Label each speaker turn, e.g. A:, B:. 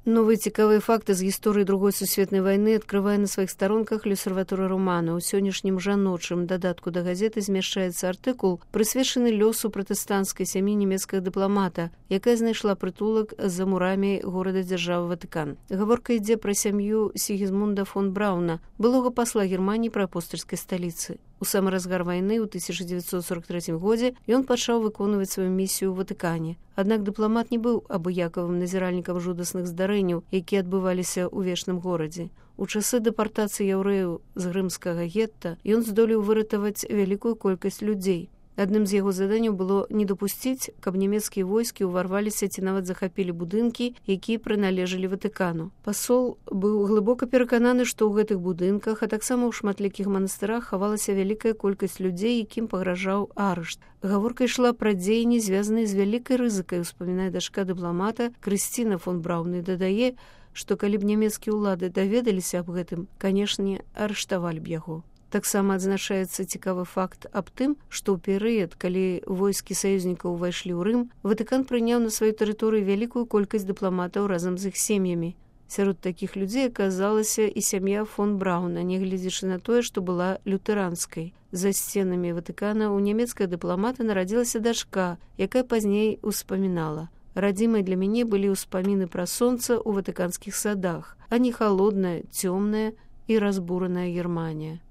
A: Новыя цікавыя факты з гісторыі другой сусветнай вайны адкрывае на сваіх старонках Лёсерватора Романа. У сённяшнім жаночым дадатку да газеты змяшчаецца артыкул, прысвечаны лёсу пратэстанцкай сям'і нямецкага дыпламата, якая знайшла прытулак за мурамі горада-дзяржавы Ватыкан. Гаворка ідзе пра сям'ю Сігізмунда фон Брауна, былога пасла Германіі пры апостальскай сталіцы. У самы разгар вайны ў 1943 годзе ён пачаў выконваць сваю місію ў Ватыкане. Аднак дыпламат не быў абыякавым назіральнікам жудасных здарэнняў, якія адбываліся ў вечным горадзе. У часы дэпартацыі яўрэяў з рымскага гетта ён здолеў выратаваць вялікую колькасць людзей. Адным з яго заданняў было не дапусціць, каб нямецкія войскі ўварваліся ці нават захапілі будынкі, якія прыналежалі Ватыкану. Пасол быў глыбока перакананы, што ў гэтых будынках, а таксама ў шматлікіх манастырах хавалася вялікая колькасць людзей, якім пагражаў арышт. Гаворка ішла пра дзеянні, звязаныя з вялікай рызыкай, успамінае дачка дыпламата Крысціна фон Браўн і дадае, што калі б нямецкія ўлады даведаліся аб гэтым, канешне, арыштавалі б яго. Таксама адзначаецца цікавы факт аб тым, што ў перыяд, калі войскі саюзнікаў увайшлі ў Рым, Ватыкан прыняў на сваёй тэрыторыі вялікую колькасць дыпламатаў разам з іх сем'ямі. Сярод такіх людзей аказалася і сям'я фон Брауна, нягледзячы на тое, што была лютэранскай. За сценамі Ватыкана ў нямецкага дыпламата нарадзілася дачка, якая пазней успамінала: «Радзімай для мяне былі ўспаміны пра сонца ў ватыканскіх садах, а не халодная, цёмная і разбураная Германія».